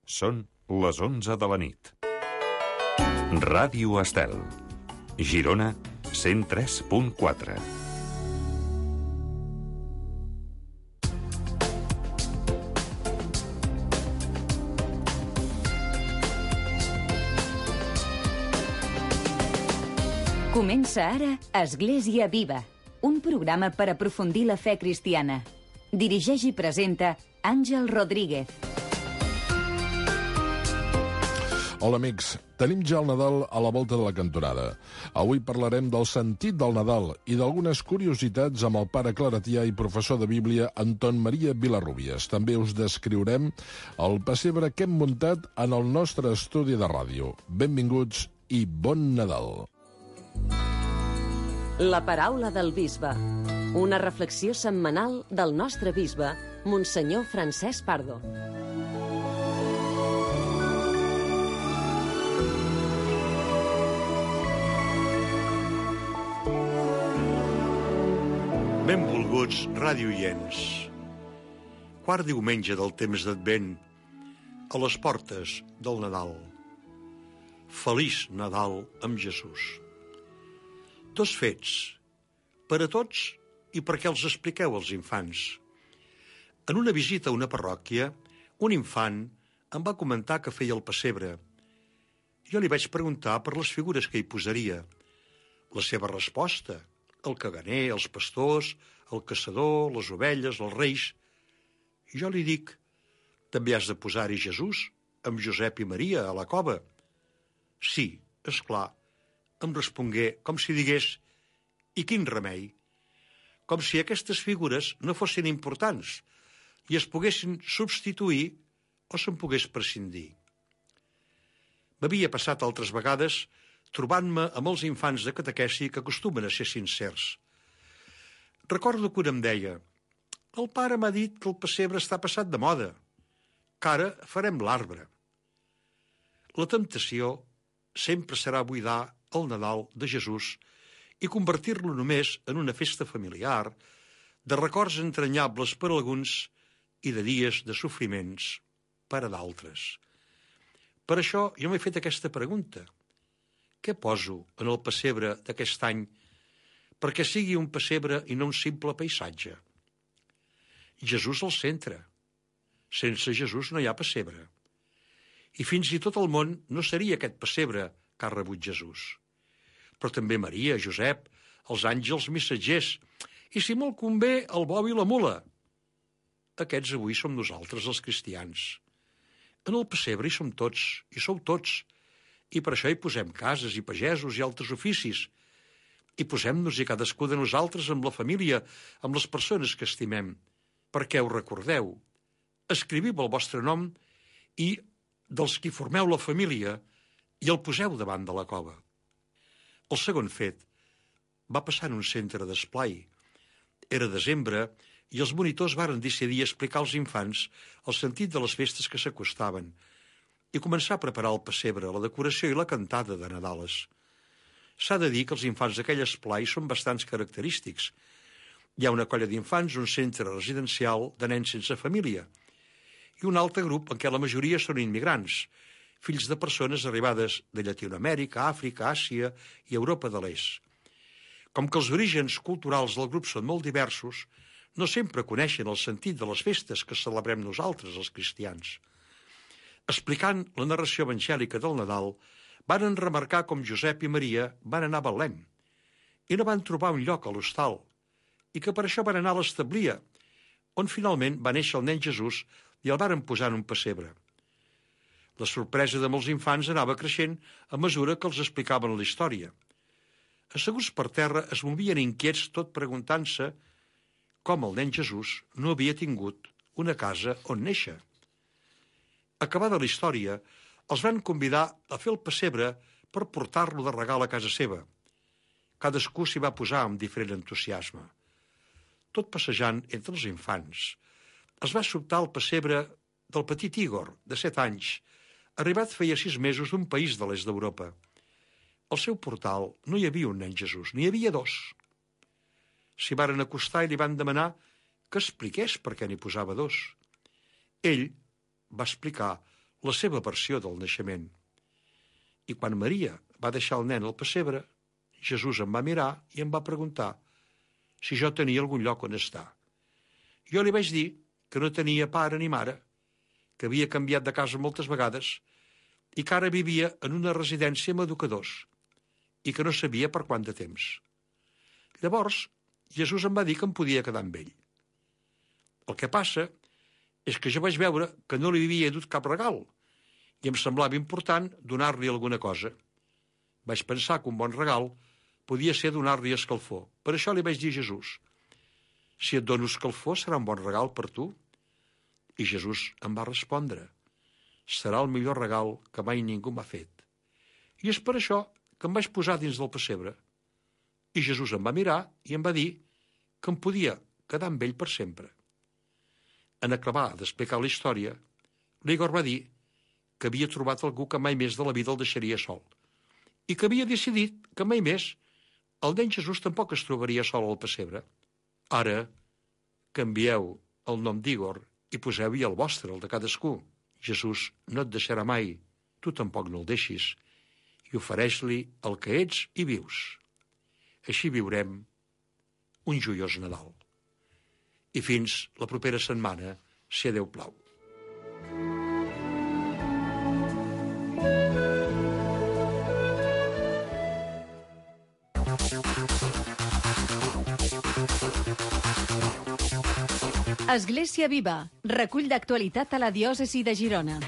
Són les 11 de la nit. Ràdio Estel, Girona, 103.4. Comença ara Església Viva, un programa per aprofundir la fe cristiana. Dirigeix i presenta Àngel Rodríguez. Hola amics, tenim ja el Nadal a la volta de la cantonada. Avui parlarem del sentit del Nadal i d'algunes curiositats amb el pare claretià i professor de Bíblia Anton Maria Vilarrubias. També us descriurem el pessebre que hem muntat en el nostre estudi de ràdio. Benvinguts i bon Nadal. La paraula del bisbe. Una reflexió setmanal del nostre bisbe, Monsenyor Francesc Pardo. Benvolguts radioients. Quart diumenge del temps d'Advent, a les portes del Nadal. Feliç Nadal amb Jesús. Dos fets, per a tots i perquè els expliqueu als infants. En una visita a una parròquia, un infant em va comentar que feia el pessebre. Jo li vaig preguntar per les figures que hi posaria. La seva resposta: el caganer, els pastors, el caçador, les ovelles, els reis. Jo li dic: també has de posar-hi Jesús, amb Josep i Maria a la cova. Sí, és clar, em respongué, com si digués: i quin remei? Com si aquestes figures no fossin importants i es poguessin substituir o se'n pogués prescindir. M'havia passat altres vegades trobant-me amb els infants de catequesi que acostumen a ser sincers. Recordo que un em deia: el pare m'ha dit que el pessebre està passat de moda, que ara farem l'arbre. La temptació sempre serà buidar el Nadal de Jesús i convertir-lo només en una festa familiar, de records entranyables per a alguns i de dies de sofriments per a d'altres. Per això jo m'he fet aquesta pregunta: què poso en el pessebre d'aquest any perquè sigui un pessebre i no un simple paisatge? Jesús al centre. Sense Jesús no hi ha pessebre. I fins i tot el món no seria aquest pessebre que ha rebut Jesús. Però també Maria, Josep, els àngels missatgers, i si molt convé, el bou i la mula. Aquests avui som nosaltres, els cristians. En el pessebre hi som tots, hi sou tots, i per això hi posem cases i pagesos i altres oficis. I posem-nos-hi cadascú de nosaltres amb la família, amb les persones que estimem. Perquè ho recordeu. Escriviu el vostre nom i dels qui formeu la família i el poseu davant de la cova. El segon fet va passar en un centre d'esplai. Era desembre i els monitors varen decidir explicar als infants el sentit de les festes que s'acostaven i començar a preparar el pessebre, la decoració i la cantada de Nadales. S'ha de dir que els infants d'aquell esplai són bastants característics. Hi ha una colla d'infants, un centre residencial de nens sense família i un altre grup en què la majoria són immigrants, fills de persones arribades de Llatinoamèrica, Àfrica, Àsia i Europa de l'Est. Com que els orígens culturals del grup són molt diversos, no sempre coneixen el sentit de les festes que celebrem nosaltres, els cristians. Explicant la narració evangèlica del Nadal, van remarcar com Josep i Maria van anar a Betlem i no van trobar un lloc a l'hostal i que per això van anar a l'establia, on finalment va néixer el nen Jesús i el varen posar en un pessebre. La sorpresa de molts infants anava creixent a mesura que els explicaven la història. Asseguts per terra es movien inquiets tot preguntant-se com el nen Jesús no havia tingut una casa on néixer. Acabada la història, els van convidar a fer el pessebre per portar-lo de regal a casa seva. Cadascú s'hi va posar amb diferent entusiasme. Tot passejant entre els infants, es va sobtar el pessebre del petit Igor, de 7 anys, arribat feia 6 mesos d'un país de l'est d'Europa. Al seu portal no hi havia un nen Jesús, n'hi havia 2. S'hi varen acostar i li van demanar que expliqués per què n'hi posava 2. Ell va explicar la seva versió del naixement. I quan Maria va deixar el nen al pessebre, Jesús em va mirar i em va preguntar si jo tenia algun lloc on estar. Jo li vaig dir que no tenia pare ni mare, que havia canviat de casa moltes vegades i que ara vivia en una residència amb educadors i que no sabia per quant de temps. Llavors, Jesús em va dir que em podia quedar amb ell. El que passa és que jo vaig veure que no li havia dut cap regal i em semblava important donar-li alguna cosa. Vaig pensar que un bon regal podia ser donar-li escalfor. Per això li vaig dir a Jesús: si et dono escalfor serà un bon regal per tu? I Jesús em va respondre: serà el millor regal que mai ningú m'ha fet. I és per això que em vaig posar dins del pessebre. I Jesús em va mirar i em va dir que em podia quedar amb ell per sempre. En acabar d'explicar la història, l'Igor va dir que havia trobat algú que mai més de la vida el deixaria sol i que havia decidit que mai més el nen Jesús tampoc es trobaria sol al pessebre. Ara, canvieu el nom d'Igor i poseu-hi el vostre, el de cadascú. Jesús no et deixarà mai, tu tampoc no el deixis, i ofereix-li el que ets i vius. Així viurem un joiós Nadal. I fins la propera setmana, si a Déu plau. Església Viva, recull d'actualitat a la diòcesi de Girona.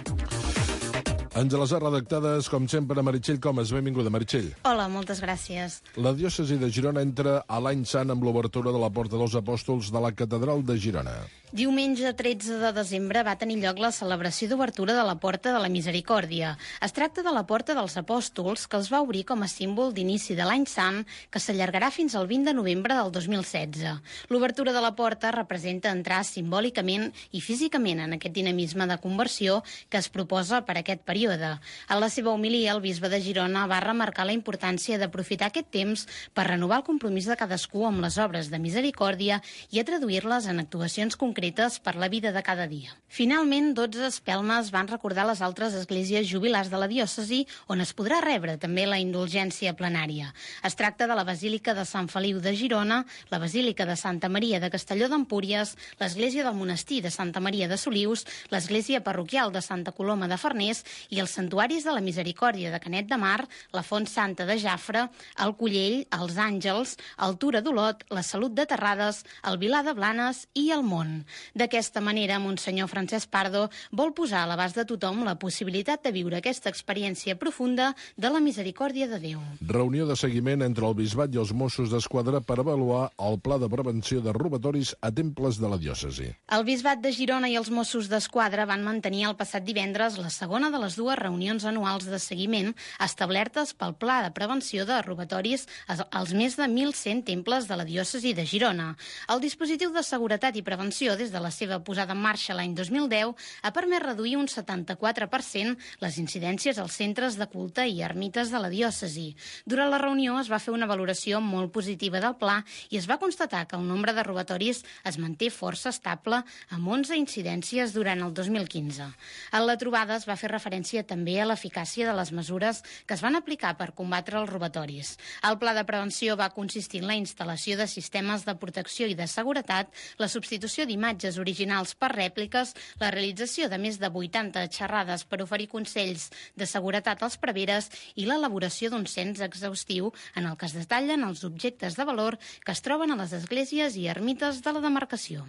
Ens les ha redactades, com sempre, Meritxell Comas. Benvinguda, Meritxell. Hola, moltes gràcies. La diòcesi de Girona entra a l'any sant amb l'obertura de la Porta dels Apòstols de la Catedral de Girona. Diumenge 13 de desembre va tenir lloc la celebració d'obertura de la Porta de la Misericòrdia. Es tracta de la Porta dels Apòstols, que es va obrir com a símbol d'inici de l'any sant, que s'allargarà fins al 20 de novembre del 2016. L'obertura de la porta representa entrar simbòlicament i físicament en aquest dinamisme de conversió que es proposa per aquest període. En la seva homilia, el bisbe de Girona va remarcar la importància d'aprofitar aquest temps per renovar el compromís de cadascú amb les obres de misericòrdia i a traduir-les en actuacions concretes per la vida de cada dia. Finalment, 12 espelmes van recordar les altres esglésies jubilars de la diòcesi, on es podrà rebre també la indulgència plenària. Es tracta de la Basílica de Sant Feliu de Girona, la Basílica de Santa Maria de Castelló d'Empúries, l'Església del Monestir de Santa Maria de Solius, l'Església Parroquial de Santa Coloma de Farners i els santuaris de la Misericòrdia de Canet de Mar, la Font Santa de Jafre, el Collell, els Àngels, el Tura d'Olot, la Salut de Terrades, el Vilar de Blanes i el Mont. D'aquesta manera, Monsenyor Francesc Pardo vol posar a l'abast de tothom la possibilitat de viure aquesta experiència profunda de la misericòrdia de Déu. Reunió de seguiment entre el Bisbat i els Mossos d'Esquadra per avaluar el pla de prevenció de robatoris a temples de la diòcesi. El Bisbat de Girona i els Mossos d'Esquadra van mantenir el passat divendres la segona de les dues reunions anuals de seguiment establertes pel pla de prevenció de robatoris als més de 1.100 temples de la diòcesi de Girona. El dispositiu de seguretat i prevenció des de la seva posada en marxa l'any 2010, ha permès reduir un 74% les incidències als centres de culte i ermites de la diòcesi. Durant la reunió es va fer una valoració molt positiva del pla i es va constatar que el nombre de robatoris es manté força estable, amb 11 incidències durant el 2015. En la trobada es va fer referència també a l'eficàcia de les mesures que es van aplicar per combatre els robatoris. El pla de prevenció va consistir en la instal·lació de sistemes de protecció i de seguretat, la substitució d'imatges originals per rèpliques, la realització de més de 80 xerrades per oferir consells de seguretat als preveres i l'elaboració d'un cens exhaustiu en el que es detallen els objectes de valor que es troben a les esglésies i ermites de la demarcació.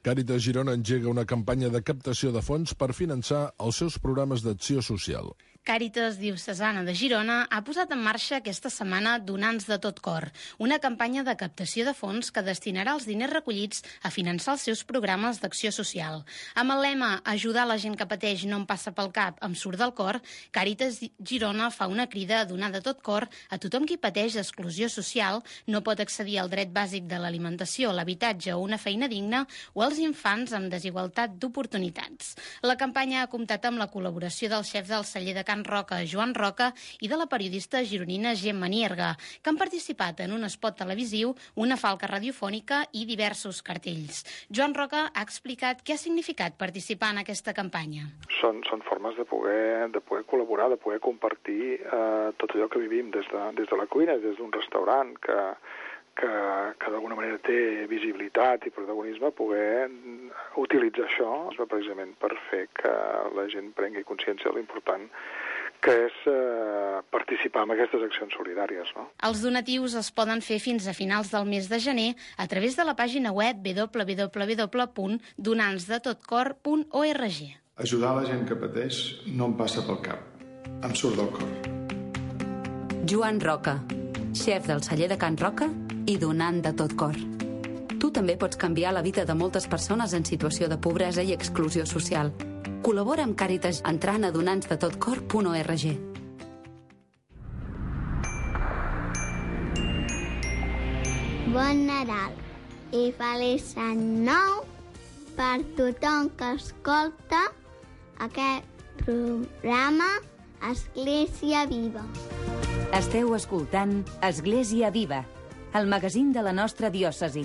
Càritas Girona engega una campanya de captació de fons per finançar els seus programes d'acció social. Càritas Diocesana de Girona ha posat en marxa aquesta setmana Donants de tot cor, una campanya de captació de fons que destinarà els diners recollits a finançar els seus programes d'acció social. Amb el lema "Ajudar la gent que pateix no em passa pel cap, em surt del cor", Càritas Girona fa una crida a donar de tot cor a tothom qui pateix exclusió social, no pot accedir al dret bàsic de l'alimentació, l'habitatge o una feina digna, o als infants amb desigualtat d'oportunitats. La campanya ha comptat amb la col·laboració del xef del celler de Can Can Roca, Joan Roca, i de la periodista gironina Gemma Nierga, que han participat en un spot televisiu, una falca radiofònica i diversos cartells. Joan Roca ha explicat què ha significat participar en aquesta campanya. Són formes de poder col·laborar, de poder compartir tot allò que vivim des de la cuina, des d'un restaurant que d'alguna manera té visibilitat i protagonisme, poder utilitzar això precisament per fer que la gent prengui consciència de l'important que és participar en aquestes accions solidàries, no? Els donatius es poden fer fins a finals del mes de gener a través de la pàgina web www.donansdetotcor.org. Ajudar la gent que pateix no em passa pel cap. Em surt del cor. Joan Roca, xef del celler de Can Roca i donant de tot cor. Tu també pots canviar la vida de moltes persones en situació de pobresa i exclusió social. Col·labora amb Càritas entrant a donansdetotcor.org. Bon Nadal i feliç any nou per tothom que escolta aquest programa Església Viva. Esteu escoltant Església Viva, el magazín de la nostra diòcesi.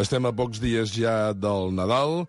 Estem a pocs dies ja del Nadal.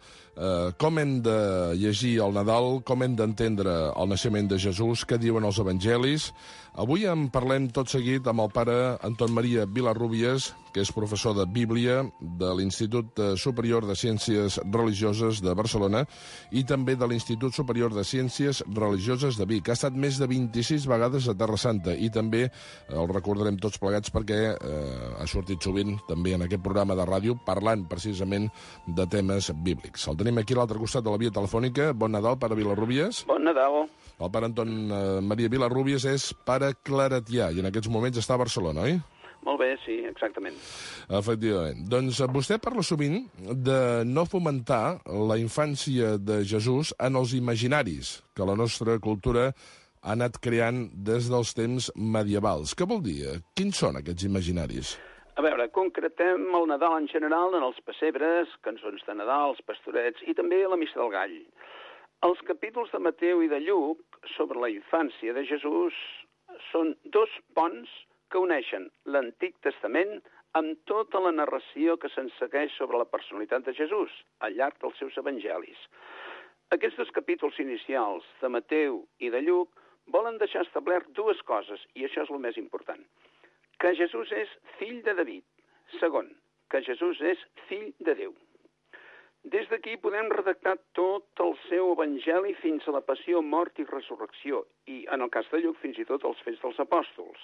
Com hem de llegir el Nadal, com hem d'entendre el naixement de Jesús, què diuen els evangelis. Avui en parlem tot seguit amb el pare Anton Maria Vilarrubias, que és professor de Bíblia de l'Institut Superior de Ciències Religioses de Barcelona i també de l'Institut Superior de Ciències Religioses de Vic. Ha estat més de 26 vegades a Terra Santa i també el recordarem tots plegats perquè ha sortit sovint també en aquest programa de ràdio parlant precisament de temes bíblics. El tenim aquí a l'altre costat de la via telefònica. Bon Nadal, pare Vilarrubias. Bon Nadal. El pare Anton Maria Vilarrubias és pare claretià i en aquests moments està a Barcelona, oi? Molt bé, sí, exactament. Efectivament. Doncs vostè parla sovint de no fomentar la infància de Jesús en els imaginaris que la nostra cultura ha anat creant des dels temps medievals. Què vol dir? Quins són aquests imaginaris? A veure, concretem el Nadal en general en els pessebres, cançons de Nadal, els pastorets i també la Missa del Gall. Els capítols de Mateu i de Lluc sobre la infància de Jesús són dos ponts que uneixen l'Antic Testament amb tota la narració que se'n segueix sobre la personalitat de Jesús al llarg dels seus evangelis. Aquests dos capítols inicials de Mateu i de Lluc volen deixar establert dues coses, i això és el més important. Que Jesús és fill de David. Segon, que Jesús és fill de Déu. Des d'aquí podem redactar tot el seu evangeli fins a la passió, mort i resurrecció, i en el cas de Lluc fins i tot els fets dels apòstols.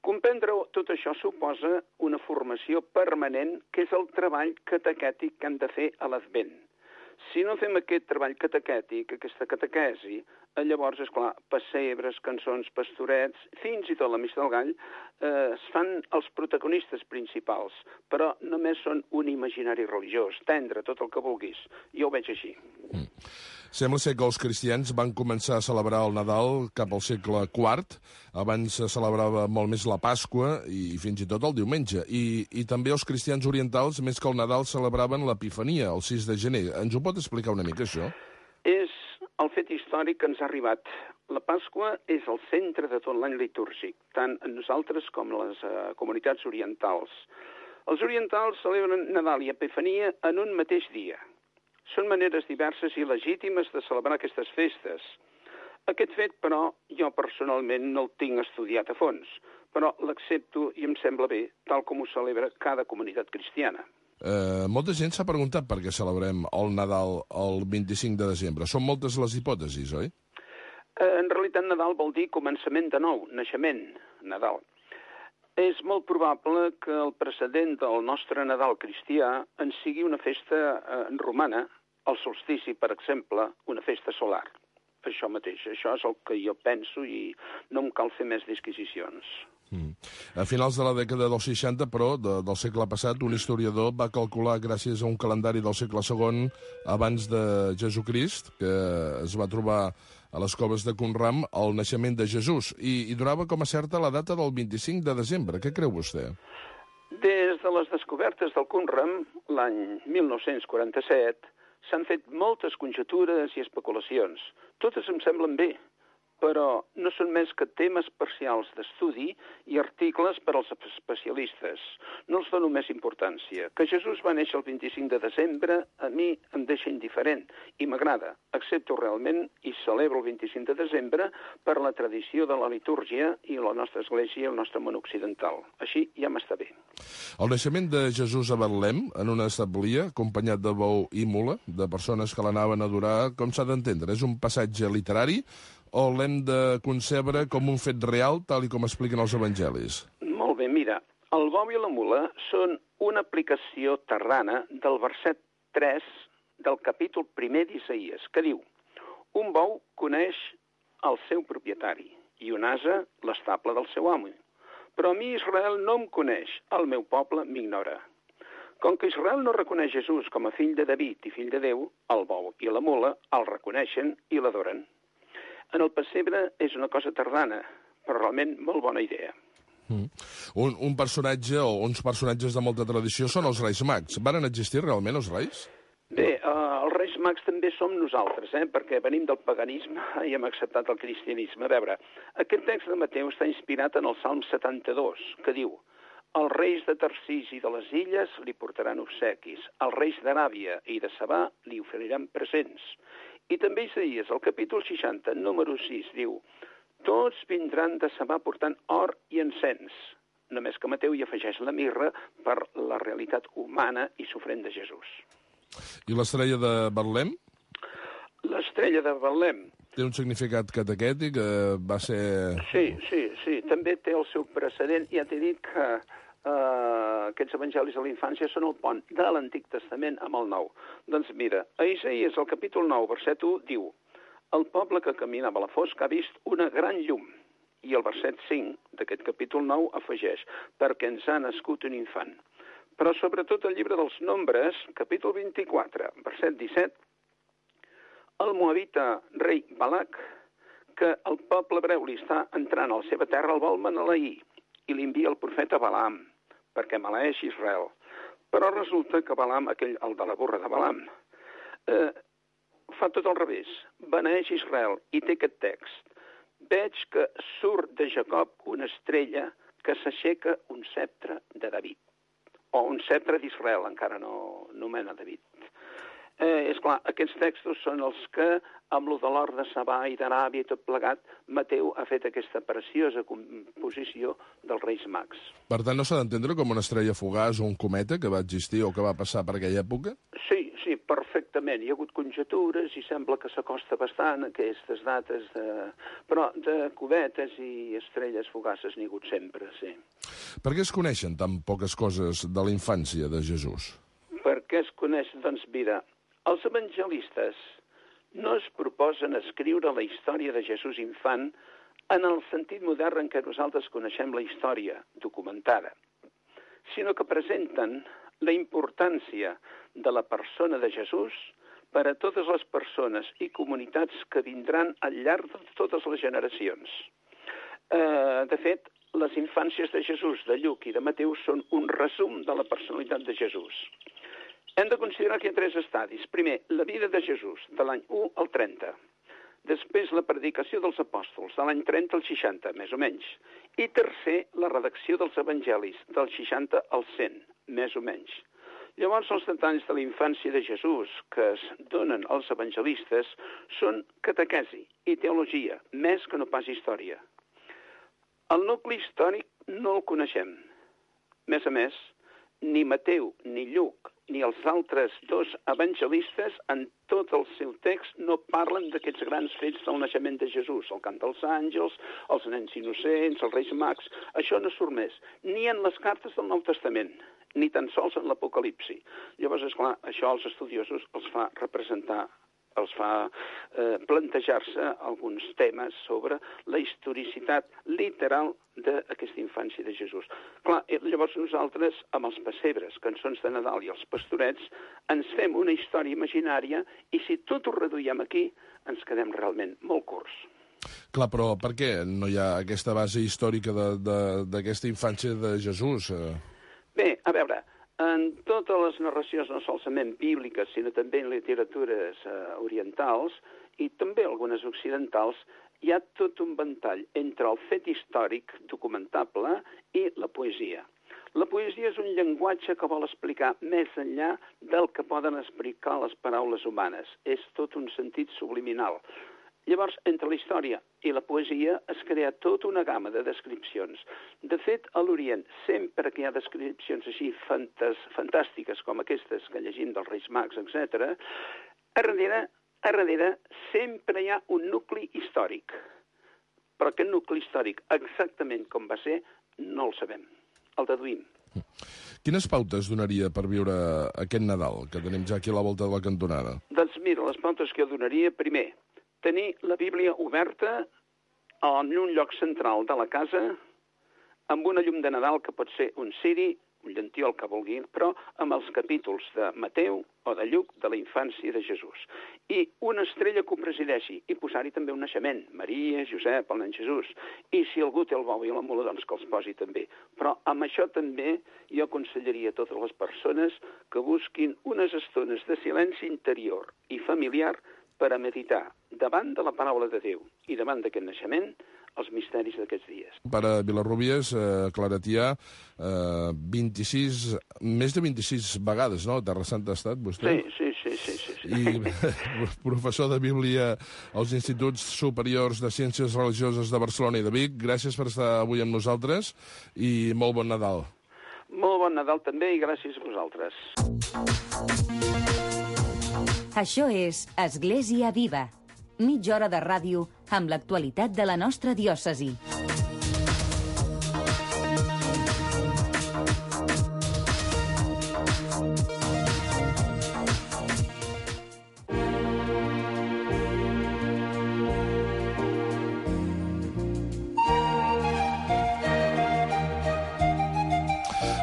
Comprendre tot això suposa una formació permanent, que és el treball catequètic que hem de fer a l'Advent. Si no fem aquest treball catequètic, aquesta catequesi, llavors, esclar, pessebres, cançons, pastorets, fins i tot la Missa del Gall, es fan els protagonistes principals, però només són un imaginari religiós, tendre tot el que vulguis. Jo ho veig així. Sembla ser que els cristians van començar a celebrar el Nadal cap al segle IV. Abans se celebrava molt més la Pasqua i fins i tot el diumenge. I també els cristians orientals, més que el Nadal, celebraven l'Epifania, el 6 de gener. Ens ho pot explicar una mica, això? És el fet històric que ens ha arribat. La Pasqua és el centre de tot l'any litúrgic, tant nosaltres com les comunitats orientals. Els orientals celebren Nadal i Epifania en un mateix dia. Són maneres diverses i legítimes de celebrar aquestes festes. Aquest fet, però, jo personalment no el tinc estudiat a fons, però l'accepto i em sembla bé, tal com ho celebra cada comunitat cristiana. Molta gent s'ha preguntat per què celebrem el Nadal el 25 de desembre. Són moltes les hipòtesis, oi? En realitat, Nadal vol dir començament de nou, naixement, Nadal. És molt probable que el precedent del nostre Nadal cristià en sigui una festa romana, el solstici, per exemple, una festa solar. Això mateix, això és el que jo penso i no em cal fer més disquisicions. A finals de la dècada dels 60, però, del segle passat, un historiador va calcular, gràcies a un calendari del segle II abans de Jesucrist, que es va trobar a les coves de Qumran, el naixement de Jesús, i donava com a certa la data del 25 de desembre. Què creu vostè? Des de les descobertes del Qumran, l'any 1947, s'han fet moltes conjectures i especulacions. Totes em semblen bé, però no són més que temes parcials d'estudi i articles per als especialistes. No els dono més importància. Que Jesús va néixer el 25 de desembre a mi em deixa indiferent i m'agrada. Accepto realment i celebro el 25 de desembre per la tradició de la litúrgia i la nostra església i el nostre món occidental. Així ja m'està bé. El naixement de Jesús a Betlem, en una establia, acompanyat de bou i mula, de persones que l'anaven a adorar, com s'ha d'entendre? És un passatge literari o l'hem de concebre com un fet real, tal i com expliquen els evangelis? Molt bé, mira, el bou i la mula són una aplicació tardana del verset 3 del capítol 1 d'Isaïes, que diu: un bou coneix el seu propietari i un ase l'estable del seu amo. Però a mi Israel no em coneix, el meu poble m'ignora. Com que Israel no reconeix Jesús com a fill de David i fill de Déu, el bou i la mula el reconeixen i l'adoren. En el pessebre és una cosa tardana, però realment molt bona idea. Un personatge o uns personatges de molta tradició són els Reis Mags. Varen existir realment els Reis? Bé, els Reis Mags també som nosaltres, perquè venim del paganisme i hem acceptat el cristianisme. A veure, aquest text de Mateu està inspirat en el Salm 72, que diu: els reis de Tarsís i de les illes li portaran obsequis, els reis d'Aràbia i de Sabà li oferiran presents. I també Isaïes, al capítol 60, número 6, diu: tots vindran de Sabà portant or i encens. Només que Mateu hi afegeix la mirra per la realitat humana i sofrent de Jesús. I l'estrella de Betlem? L'estrella de Betlem. Té un significat catequètic? Va ser... Sí. També té el seu precedent. Ja t'he dit que aquests evangelis de la infància són el pont de l'Antic Testament amb el Nou. Doncs mira, a Isaïes, al capítol 9, verset 1, diu: el poble que caminava a la fosca ha vist una gran llum. I el verset 5 d'aquest capítol 9 afegeix: perquè ens ha nascut un infant. Però sobretot el llibre dels Nombres, capítol 24, verset 17, el moabita rei Balac, que el poble hebreu li està entrant a la seva terra, el vol maleir i li envia el profeta Balaam perquè maleeix Israel. Però resulta que Balaam, el de la burra de Balaam, fa tot al revés. Beneeix Israel i té aquest text: veig que surt de Jacob una estrella que s'aixeca un sceptre de David. O un sceptre d'Israel, encara no nomena David. És clar, aquests textos són els que, amb lo de l'or de Sabà i d'Aràbia i tot plegat, Mateu ha fet aquesta preciosa composició dels Reis Mags. Per tant, no s'ha d'entendre com una estrella fugaç o un cometa que va existir o que va passar per aquella època? Sí, perfectament. Hi ha hagut conjectures i sembla que s'acosta bastant a aquestes dates, però de cometes i estrelles fugaces n'hi ha hagut sempre, sí. Per què es coneixen tan poques coses de la infància de Jesús? Per què es coneix? Doncs mira, els evangelistes no es proposen escriure la història de Jesús infant en el sentit modern en què nosaltres coneixem la història documentada, sinó que presenten la importància de la persona de Jesús per a totes les persones i comunitats que vindran al llarg de totes les generacions. De fet, les infàncies de Jesús, de Lluc i de Mateu són un resum de la personalitat de Jesús. Hem de considerar que hi ha 3 estadis. Primer, la vida de Jesús, de l'any 1 al 30. Després, la predicació dels apòstols, de l'any 30 al 60, més o menys. I tercer, la redacció dels evangelis, del 60 al 100, més o menys. Llavors, els detalls de la infància de Jesús que es donen als evangelistes són catequesi i teologia, més que no pas història. El nucli històric no el coneixem. Més a més, ni Mateu ni Lluc ni els altres 2 evangelistes en tot el seu text no parlen d'aquests grans fets del naixement de Jesús, el cant dels àngels, els nens innocents, els Reis Mags. Això no surt més, ni en les cartes del Nou Testament, ni tan sols en l'Apocalipsi. Llavors, esclar, això als estudiosos els fa representar els fa plantejar-se alguns temes sobre la historicitat literal d'aquesta infància de Jesús. Clar, llavors nosaltres, amb els pessebres, cançons de Nadal i els pastorets, ens fem una història imaginària i si tot ho reduïm aquí, ens quedem realment molt curts. Clar, però per què no hi ha aquesta base històrica d'aquesta infància de Jesús? Bé, a veure, en totes les narracions, no solament bíbliques, sinó també en literatures orientals i també algunes occidentals, hi ha tot un ventall entre el fet històric documentable i la poesia. La poesia és un llenguatge que vol explicar més enllà del que poden explicar les paraules humanes. És tot un sentit subliminal. Llavors, entre la història i la poesia es crea tota una gamma de descripcions. De fet, a l'Orient, sempre que hi ha descripcions així fantàstiques com aquestes que llegim dels Reis Mags, etc., a darrere sempre hi ha un nucli històric. Però aquest nucli històric, exactament com va ser, no el sabem. El deduïm. Quines pautes donaria per viure aquest Nadal, que tenim ja aquí a la volta de la cantonada? Doncs mira, les pautes que jo donaria, primer, tenir la Bíblia oberta en un lloc central de la casa, amb una llum de Nadal que pot ser un ciri, un llantí, el que vulgui, però amb els capítols de Mateu o de Lluc de la infància de Jesús. I una estrella que ho presideixi, i posar-hi també un naixement, Maria, Josep, el nen Jesús. I si algú té el bou i la mula, doncs que els posi també. Però amb això també jo aconsellaria a totes les persones que busquin unes estones de silenci interior i familiar per a meditar davant de la paraula de Déu i davant d'aquest naixement els misteris d'aquests dies. Per a Vilarrubies, Claretià, més de 26 vegades, no? Terra Santa ha estat, vostè? Sí. I professor de Bíblia als Instituts Superiors de Ciències Religioses de Barcelona i de Vic. Gràcies per estar avui amb nosaltres i molt bon Nadal. Molt bon Nadal també i gràcies a vosaltres. Això és Església Viva. Mitja hora de ràdio amb l'actualitat de la nostra diòcesi.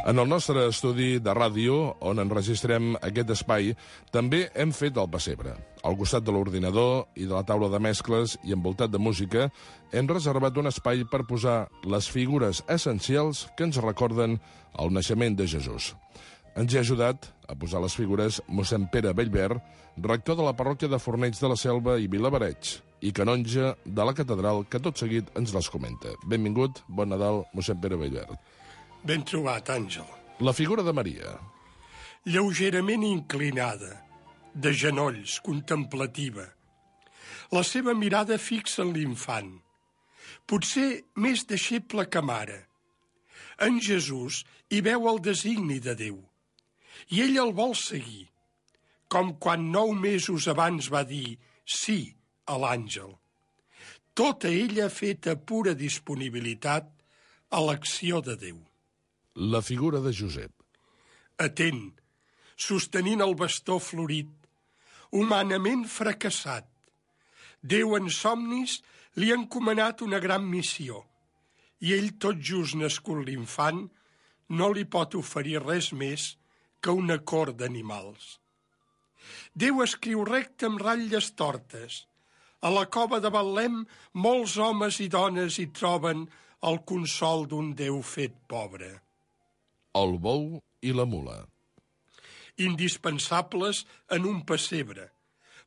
En el nostre estudi de ràdio, on enregistrem aquest espai, també hem fet el pessebre. Al costat de l'ordinador i de la taula de mescles i envoltat de música, hem reservat un espai per posar les figures essencials que ens recorden el naixement de Jesús. Ens hi ha ajudat a posar les figures mossèn Pere Bellver, rector de la parròquia de Fornells de la Selva i Vilabereig, i canonge de la catedral, que tot seguit ens les comenta. Benvingut, bon Nadal, mossèn Pere Bellver. Ben trobat, Àngel. La figura de Maria. Lleugerament inclinada, de genolls, contemplativa. La seva mirada fixa en l'infant. Potser més deixeble que mare. En Jesús hi veu el designi de Déu. I ell el vol seguir. Com quan 9 mesos abans va dir sí a l'àngel. Tota ella feta pura disponibilitat a l'acció de Déu. La figura de Josep. Atent, sostenint el bastó florit, humanament fracassat. Déu en somnis li ha encomanat una gran missió i ell, tot just nascut l'infant, no li pot oferir res més que una cor d'animals. Déu escriu recte amb ratlles tortes. A la cova de Betlem molts homes i dones hi troben el consol d'un Déu fet pobre. El bou i la mula. Indispensables en un pessebre,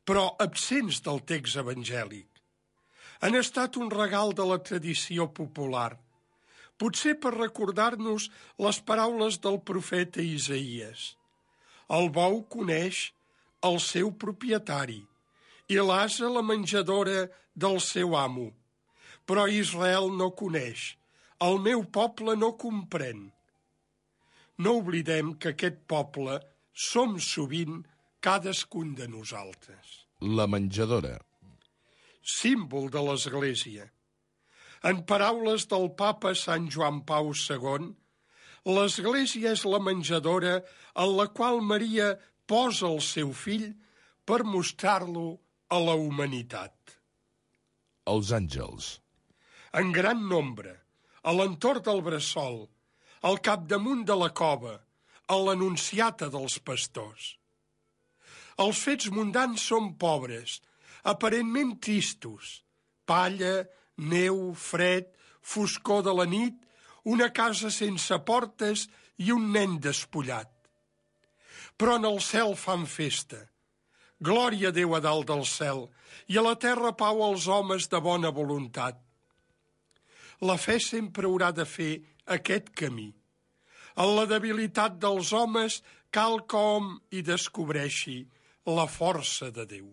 però absents del text evangèlic. Han estat un regal de la tradició popular, potser per recordar-nos les paraules del profeta Isaïes. El bou coneix el seu propietari i l'ase la menjadora del seu amo, però Israel no coneix, el meu poble no comprèn. No oblidem que aquest poble som sovint cadascun de nosaltres. La menjadora. Símbol de l'Església. En paraules del papa Sant Joan Pau II, l'Església és la menjadora en la qual Maria posa el seu fill per mostrar-lo a la humanitat. Els àngels. En gran nombre, a l'entorn del bressol, al capdamunt de la cova, a l'anunciata dels pastors. Els fets mundans són pobres, aparentment tristos. Palla, neu, fred, foscor de la nit, una casa sense portes i un nen despullat. Però en el cel fan festa. Glòria a Déu a dalt del cel i a la terra pau als homes de bona voluntat. La fe sempre haurà de fer aquest camí. En la debilitat dels homes cal que hom hi descobreixi la força de Déu.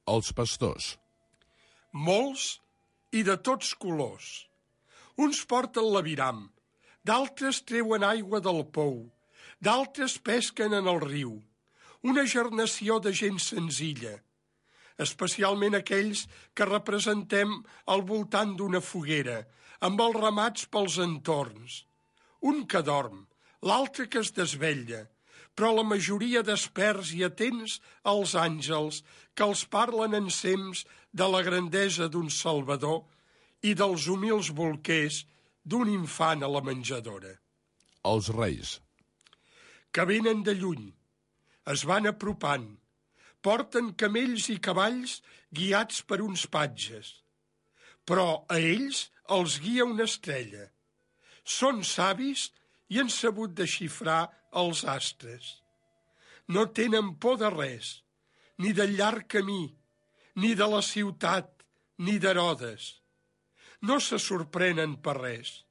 Els pastors. Molts i de tots colors. Uns porten l'aviram, d'altres treuen aigua del pou, d'altres pesquen en el riu. Una gernació de gent senzilla, especialment aquells que representem al voltant d'una foguera, amb els ramats pels entorns. Un que dorm, l'altre que es desvetlla, però la majoria desperts i atents als àngels que els parlen ensems de la grandesa d'un Salvador i dels humils bolquers d'un infant a la menjadora. Els reis. Que venen de lluny, es van apropant, porten camells i cavalls guiats per uns patges, però a ells els guia una estrella. Són savis i han sabut desxifrar els astres. No tenen por de res, ni del llarg camí, ni de la ciutat, ni d'Herodes. No se sorprenen per res.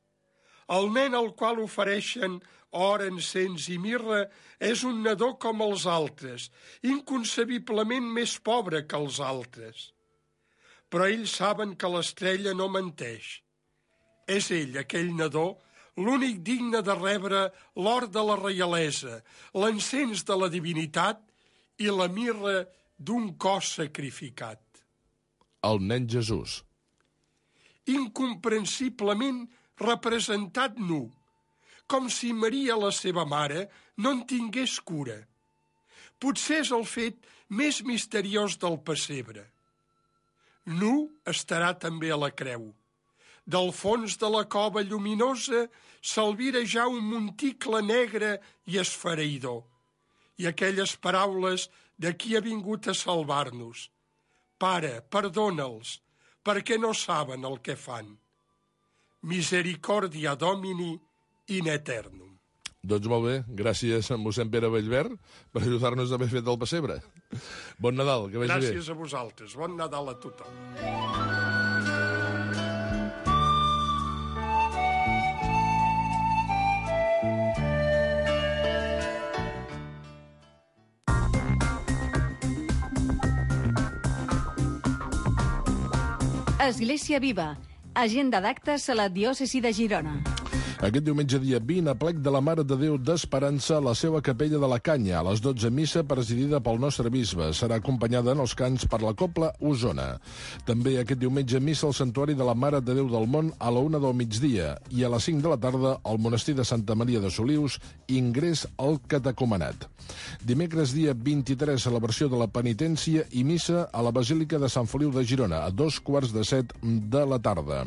El nen al qual ofereixen or, encens i mirra és un nadó com els altres, inconcebiblement més pobre que els altres. Però ells saben que l'estrella no menteix. És ell, aquell nadó, l'únic digne de rebre l'or de la reialesa, l'encens de la divinitat i la mirra d'un cos sacrificat. El nen Jesús. Incomprensiblement representat nu, com si Maria, la seva mare, no en tingués cura. Potser és el fet més misteriós del pessebre. Nu estarà també a la creu. Del fons de la cova lluminosa s'albira ja un monticle negre i esfereïdor, i aquelles paraules de qui ha vingut a salvar-nos. Pare, perdona'ls, perquè no saben el que fan. Misericordia Domini in eternum. Doncs molt bé, gràcies a mossèn Pere Bellver per ajudar-nos a haver fet el pessebre. Bon Nadal, que vagi bé. Gràcies a vosaltres, bon Nadal a tothom. Església Viva, agenda d'actes a la diòcesi de Girona. Aquest diumenge dia 20, a plec de la Mare de Déu d'Esperança, la seva capella de la Canya, a les 12 missa presidida pel nostre bisbe. Serà acompanyada en els cants per la Cobla Osona. També aquest diumenge missa al Santuari de la Mare de Déu del Món a la 1 del migdia i a les 5 de la tarda al Monestir de Santa Maria de Solius, ingrés al catecumenat. Dimecres dia 23, celebració de la penitència i missa a la Basílica de Sant Feliu de Girona, a 2:15 de la tarda.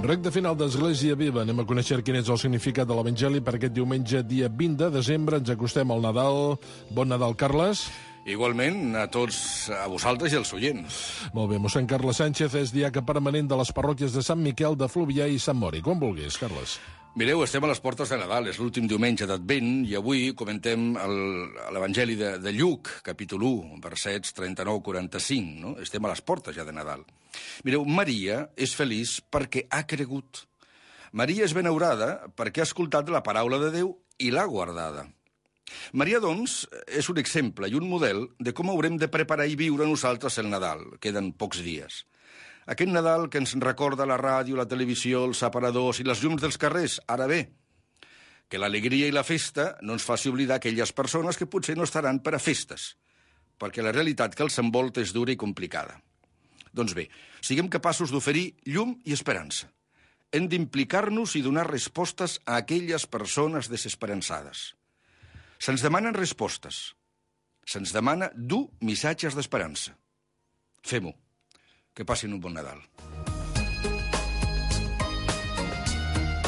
Recte final d'Església Viva. Anem a conèixer quin és el significat de l'Evangeli per aquest diumenge, dia 20 de desembre. Ens acostem al Nadal. Bon Nadal, Carles. Igualment, a tots, a vosaltres i als oients. Molt bé, mossèn Carles Sánchez és diaca permanent de les parròquies de Sant Miquel, de Fluvià i Sant Mori. Com vulguis, Carles. Mireu, estem a les portes de Nadal, és l'últim diumenge d'Advent, i avui comentem l'Evangeli de Lluc, capítol 1, versets 39-45, no? Estem a les portes ja de Nadal. Mireu, Maria és feliç perquè ha cregut. Maria és benaurada perquè ha escoltat la paraula de Déu i l'ha guardada. Maria, doncs, és un exemple i un model de com haurem de preparar i viure nosaltres el Nadal. Queden pocs dies. Aquest Nadal que ens recorda la ràdio, la televisió, els aparadors i les llums dels carrers, ara bé, que l'alegria i la festa no ens faci oblidar aquelles persones que potser no estaran per a festes, perquè la realitat que els envolta és dura i complicada. Doncs bé, siguem capaços d'oferir llum i esperança. Hem d'implicar-nos i donar respostes a aquelles persones desesperançades. Se'ns demanen respostes. Se'ns demana dur missatges d'esperança. Fem-ho. Que passin un bon Nadal.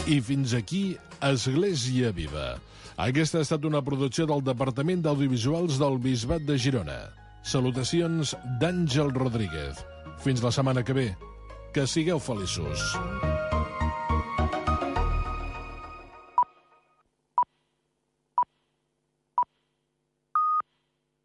I fins aquí Església Viva. Aquesta ha estat una producció del Departament d'Audiovisuals del Bisbat de Girona. Salutacions d'Àngel Rodríguez. Fins la setmana que ve. Que sigueu feliços.